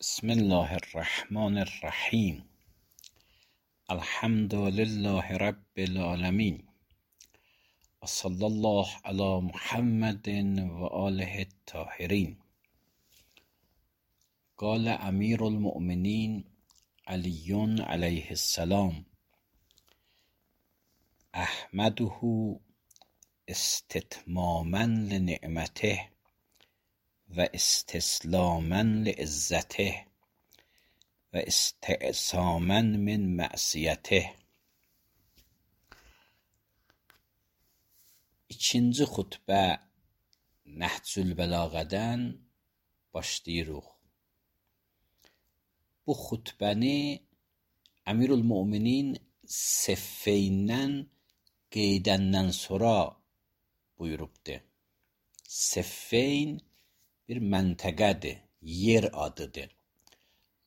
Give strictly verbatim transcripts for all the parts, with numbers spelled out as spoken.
بسم الله الرحمن الرحیم. الحمد لله رب العالمین و صلی الله علی محمد و آله الطاهرین. قال امیر المؤمنین علی علیه السلام: احمده استتماما لنعمته و استسلاما لعزته و استعصاما من معصیته. İkinci xutbə Nəhcül Bəlağədən başlayırıq. Bu xutbəni Əmirül Möminin Seffeyndən qeydəndən sonra buyurubdur. Seffeyn bir məntəqədir, yer adıdır.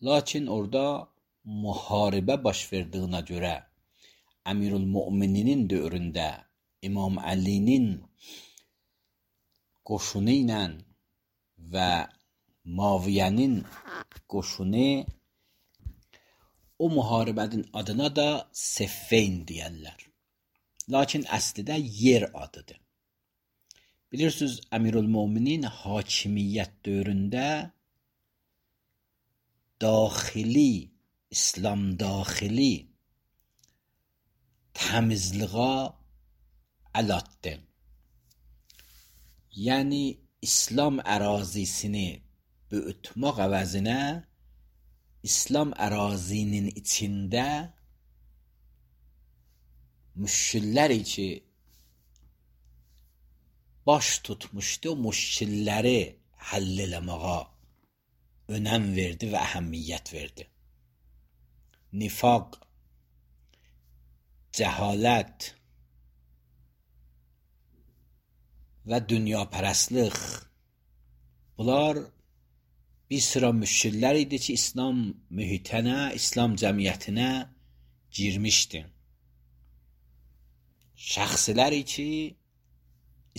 Lakin orada müharibə baş verdiyinə görə Əmirül Mömininin dövründə İmam Əlinin qoşunu ilə və Muaviyyənin qoşunu, o müharibənin adına da Seffeyn deyərlər. Lakin əslində yer adıdır. Bilirsiniz, Əmirül Möminin hakimiyyət dövründə daxili, İslam daxili təmizliğə əl atdı. Yəni, İslam ərazisini böyütmək əvəzinə İslam ərazinin içində müşkilləri ki, baş tutmuşdu, müşkilləri həll eləməyə önəm verdi və əhəmiyyət verdi. Nifaq, cəhalət və dünyapərəstlik, bunlar bir sıra müşkillər idi ki, İslam mühitinə, İslam cəmiyyətinə girmişdi. Şəxsləri ki,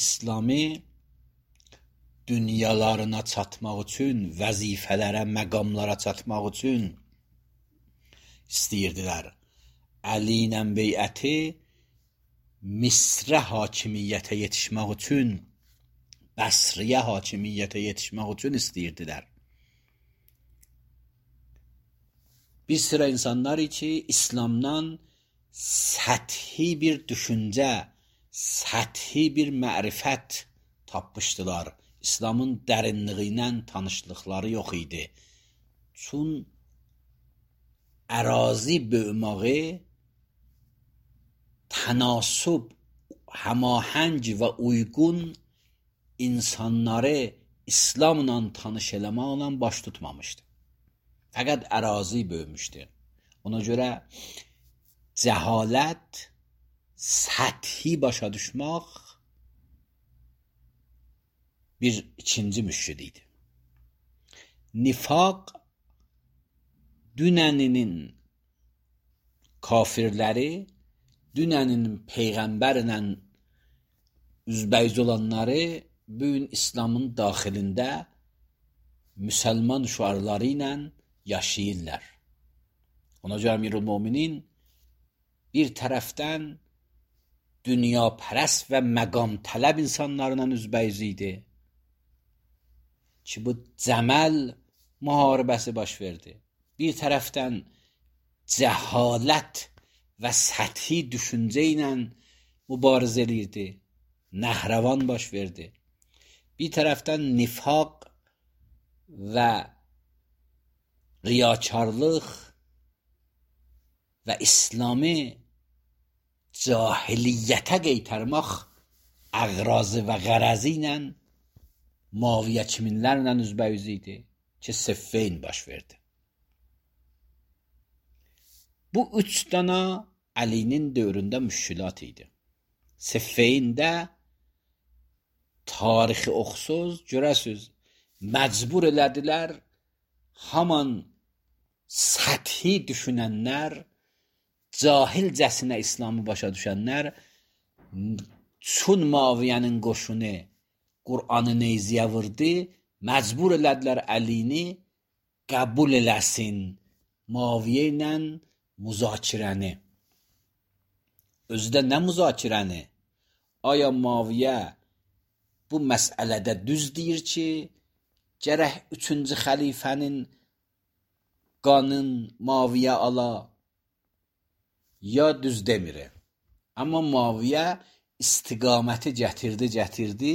İslami dünyalarına çatmaq üçün, vəzifələrə, məqamlara çatmaq üçün istəyirdilər. Əli ilə beyəti Misrə hakimiyyətə yetişmək üçün, Bəsriyə hakimiyyətə yetişmək üçün istəyirdilər. Bir sıra insanlar ki, İslamdan səthi bir düşüncə, səthi bir mərifət tapmışdılar. İslamın dərinliyi ilə tanışlıqları yox idi. Çün ərazi böyüməyi tənasub, həmahəng və uyğun insanları İslamla tanış eləməklə baş tutmamışdı. Fəqət ərazi böyümüşdü. Ona görə cəhalət, səthi başa düşmək bir ikinci müşkil idi. Nifaq, dünəninin kafirləri, dünəninin peyğəmbərlə üzbəyiz olanları bugün İslamın daxilində müsəlman şüarları ilə yaşayırlar. Ona görə Əmirül Möminin bir tərəfdən dünyapərəst və məqam tələb insanlarla üzbəyiz idi ki, bu Cəməl müharibəsi baş verdi. Bir tərəfdən cəhalət və səthi düşüncə ilə mübarizə edirdi. Nəhrəvan baş verdi. Bir tərəfdən nifaq və riyakarlıq və İslami cahiliyyətə qeytərmək əqrazı və qərəzi ilə Muaviyyə kiminlərlə üzbəyiz idi ki, Seffeyn baş verdi. Bu üç dana Əlinin dövründə müşkilat idi. Seffeyndə tarixi oxusuz, görəsiz, məcbur elədilər haman səthi düşünənlər, cahilcəsinə İslamı başa düşənlər çün Muaviyyənin qoşunu Qur'anı neyziyə vurdu, məcbur elədilər Əlini qəbul eləsin Muaviyə ilə müzakirəni. Özdə nə müzakirəni? Aya Muaviyə bu məsələdə düz deyir ki, gərək üçüncü xəlifənin qanın Muaviyə ala, ya düz demir. Amma Muaviyə istiqaməti gətirdi, gətirdi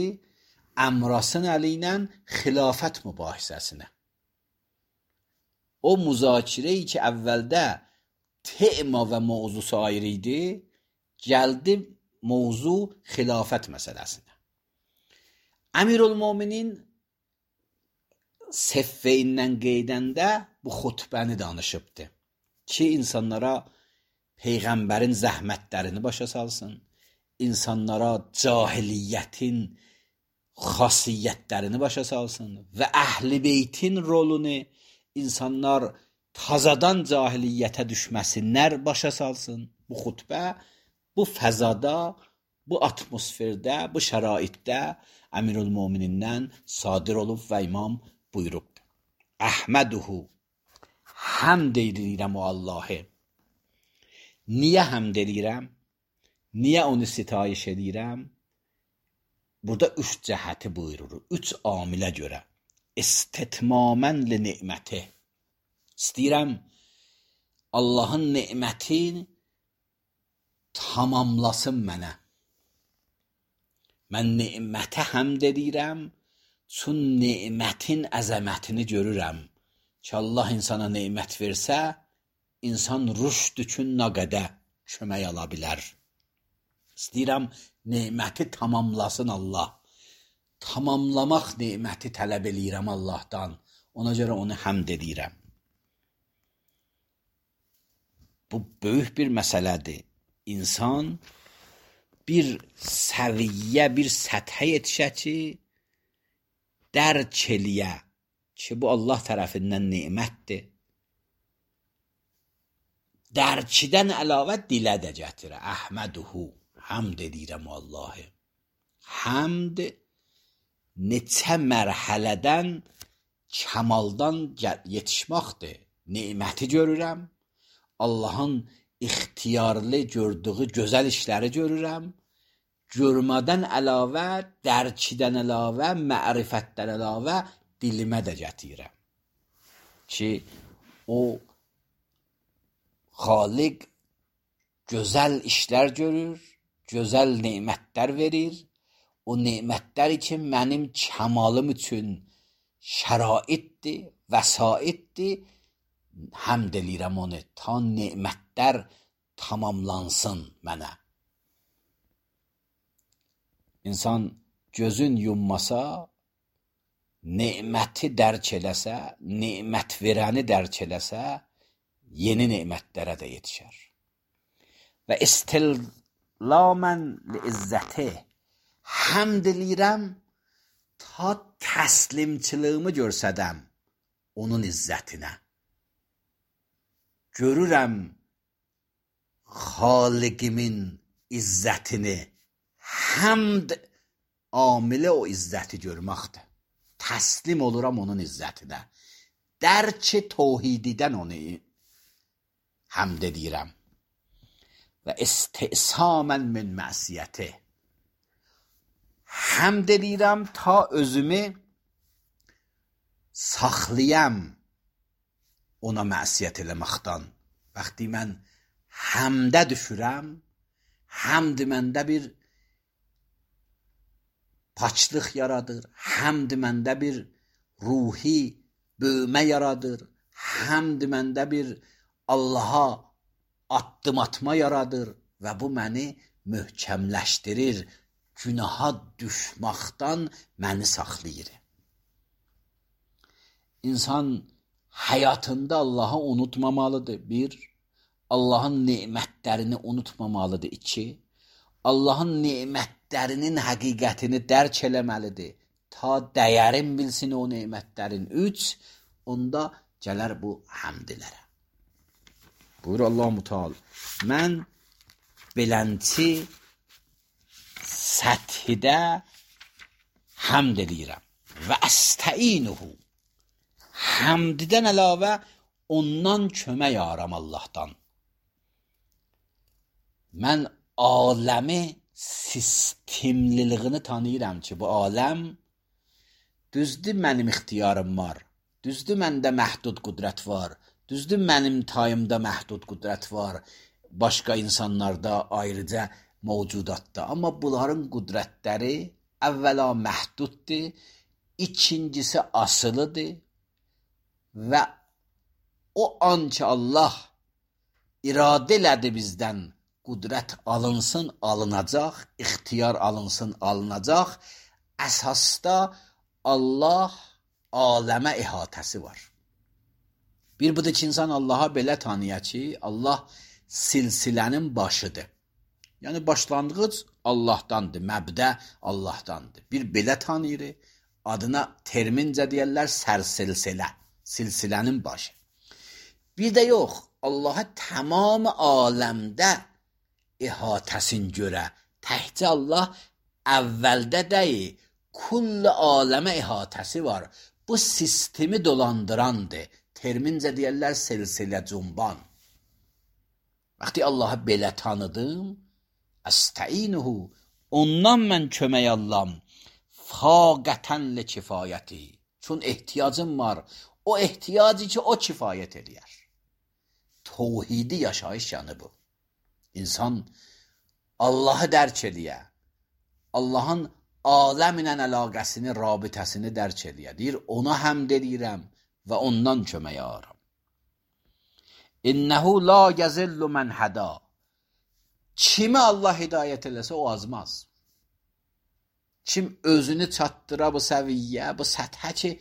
Əmrasın əli ilə xilafət mübahisəsinə. O müzakirəyi ki, əvvəldə tema və mövzusu ayrı idi, gəldi mövzu xilafət məsələsinə. Əmirülmöminin Seffeyindən qeydəndə bu xutbəni danışıbdı ki, insanlara Peyğəmbərin zəhmətlərini başa salsın, insanlara cahiliyyətin xasiyyətlərini başa salsın və əhl-i beytin rolunu insanlar tazadan cahiliyyətə düşməsinlər başa salsın. Bu xutbə, bu fəzada, bu atmosferdə, bu şəraitdə Əmirülmöminindən sadir olub və imam buyurubdur. Əhməduhu, həmd edirəm o Allahı. Niyə həmd edirəm? Niyə onu sitayiş edirəm? Burada üç cəhəti buyurur, üç amilə görə. İstitmamən li ni'məti. İstəyirəm Allahın ni'mətin tamamlasın mənə. Mən ni'mətə həmd edirəm, çün ni'mətin əzəmətini görürəm. Ki Allah insana ni'mət versə, insan rüşd üçün nə qədər kömək ala bilər. İstəyirəm ni'məti tamamlasın Allah. Tamamlamaq ni'məti tələb eləyirəm Allahdan. Ona görə onu həmd edirəm. Bu böyük bir məsələdir. İnsan bir səviyyə, bir səthə yetişə ki, dərk eləyə ki, bu Allah tərəfindən ni'mətdir. Dərkidən əlavə dilə də gətirə. Əhməduhu, həmd edirəm Allahı. Həmd neçə mərhələdən kəmaldan yetişməkdir. Ni'məti görürəm, Allahın ixtiyarlı gördüyü gözəl işləri görürəm, görmədən əlavə, dərkidən əlavə, mərifətdən əlavə dilimə də gətirəm. Ki, o Xaliq gözəl işlər görür, gözəl nemətlər verir. O nemətlər üçün mənim kəmalım üçün şəraitdir, vəsaitdir. Həmd eləyirəm onu, ta nemətlər tamamlansın mənə. İnsan gözün yummasa, neməti dərk eləsə, nemət verəni dərk eləsə, yeni nemətlərə də yetişər. Və istillamən li izzəti, həmd eləyirəm ta təslimçiliyimi görsədəm onun izzətinə. Görürəm Xaliqimin izzətini, həmd amili o izzəti görməkdir. Təslim oluram onun izzətinə. Dərki tövhididən onu həmd edirəm. Və istisamən min məsiyyəti. Həmd edirəm ta özümü saxlayam ona məsiyyət eləməkdən. Vaxtı mən həmdə düşürəm, həmd məndə bir paçlıq yaradır, həmd məndə bir ruhi böyümə yaradır, həmd məndə bir Allaha addım atma yaradır və bu məni möhkəmləşdirir, günaha düşməkdən məni saxlayır. İnsan həyatında Allahı unutmamalıdır, bir, Allahın nemətlərini unutmamalıdır, iki, Allahın nemətlərinin həqiqətini dərk eləməlidir, ta dəyərin bilsin o nemətlərin, üç, onda gələr bu həmdilərə. Buyur Allah-u Teala, mən belənçi səthidə həmd edirəm və əstəinuhu, Həmdidən əlavə ondan kömək aram Allahdan. Mən aləmi sistemliliyini tanıyıram ki, bu aləm düzdür mənim ixtiyarım var, düzdür məndə məhdud qüdrət var, düzdür mənim tayımda məhdud qüdrət var, başqa insanlarda ayrıca mövcudatda. Amma bunların qüdrətləri əvvəla məhduddur, ikincisi asılıdır və o an ki Allah iradə elədi bizdən qüdrət alınsın, alınacaq, ixtiyar alınsın, alınacaq. Əsasda Allah aləmə ihatəsi var. Bir budur ki, insan Allaha belə tanıya ki, Allah silsilənin başıdır. Yəni, başlanğıc Allahdandır, məbdə Allahdandır. Bir belə tanıyır, adına termincə deyərlər sərsilsilə, silsilənin başı. Bir də yox, Allaha tamam aləmdə ihatəsin görə, təhcə Allah əvvəldə deyil, kull aləmə ihatəsi var. Bu sistemi dolandırandır. Termincə deyərlər silsilə cumban. Vaxtı Allahı belə tanıdım, əstəinuhu, ondan mən kömək allam, faqətənlə kifayəti. Çün ehtiyacım var, o ehtiyacı ki, o kifayət eləyər. Tevhidi yaşayış yanı bu. İnsan Allahı dərk eləyə, Allahın aləmlə əlaqəsini, rabitəsini dərk eləyə. Deyir, ona həmd edirəm və ondan kömək aram. İnnəhu la yəzillu mən həda. Kimi Allah hidayət eləsə, o azmaz. Kim özünü çatdıra bu səviyyə, bu səthə ki,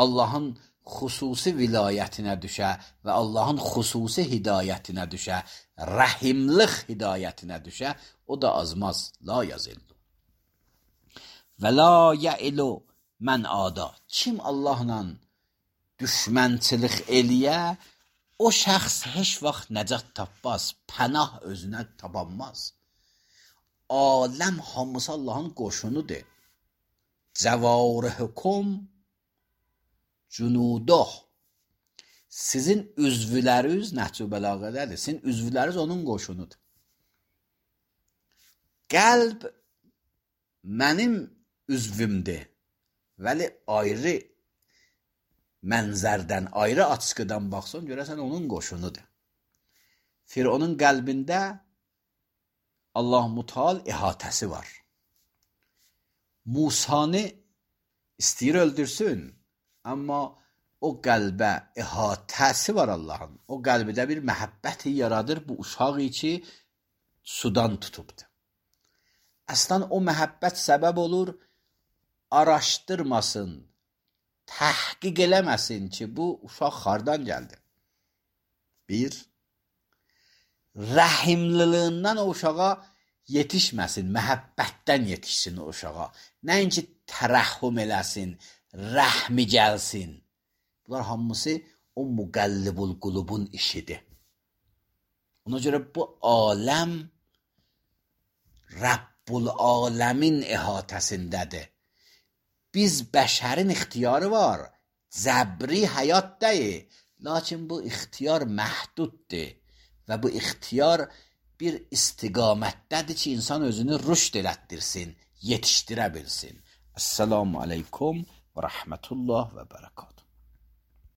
Allahın xüsusi vilayətinə düşə və Allahın xüsusi hidayətinə düşə, rəhimlik hidayətinə düşə, o da azmaz. La yəzillu. Və la yə'ilu mən ada. Kim Allahla düşmənçilik eləyə, o şəxs heç vaxt nəcat tapmaz, pənah özünə tapanmaz. Aləm hamısı Allahın qoşunudur. Cəvarihükum cunuduh. Sizin üzvləriniz Nəhcü Bəlağədədir. Sizin üzvləriniz onun qoşunudur. Qəlb mənim üzvümdür. Vəli ayrı mənzərdən, ayrı açıqıdan baxsan, görəsən onun qoşunudur. Fironun qəlbində Allah Müteal ihatəsi var. Musanı istəyir öldürsün, amma o qəlbə ihatəsi var Allahın. O qəlbidə bir məhəbbəti yaradır bu uşağı ki, sudan tutubdur. Əslən o məhəbbət səbəb olur, araşdırmasın, təhqiq eləməsin ki, bu uşaq hardan gəldi. Bir, rəhimliliğindən o uşağa yetişməsin, məhəbbətdən yetişsin o uşağa. Nəinki tərəhhüm eləsin, rəhmi gəlsin. Bunlar hamısı o müqəllibul qulubun işidir. Ona görə bu aləm Rəbbul aləmin ihatəsindədir. Biz bəşərin ixtiyarı var, zəbri həyat deyil. Lakin bu ixtiyar məhduddur və bu ixtiyar bir istiqamətdədir ki, insan özünü rüşd elətdirsin, yetişdirə bilsin. Esselamu aleykum və rəhmətullah və bərəkatuhu.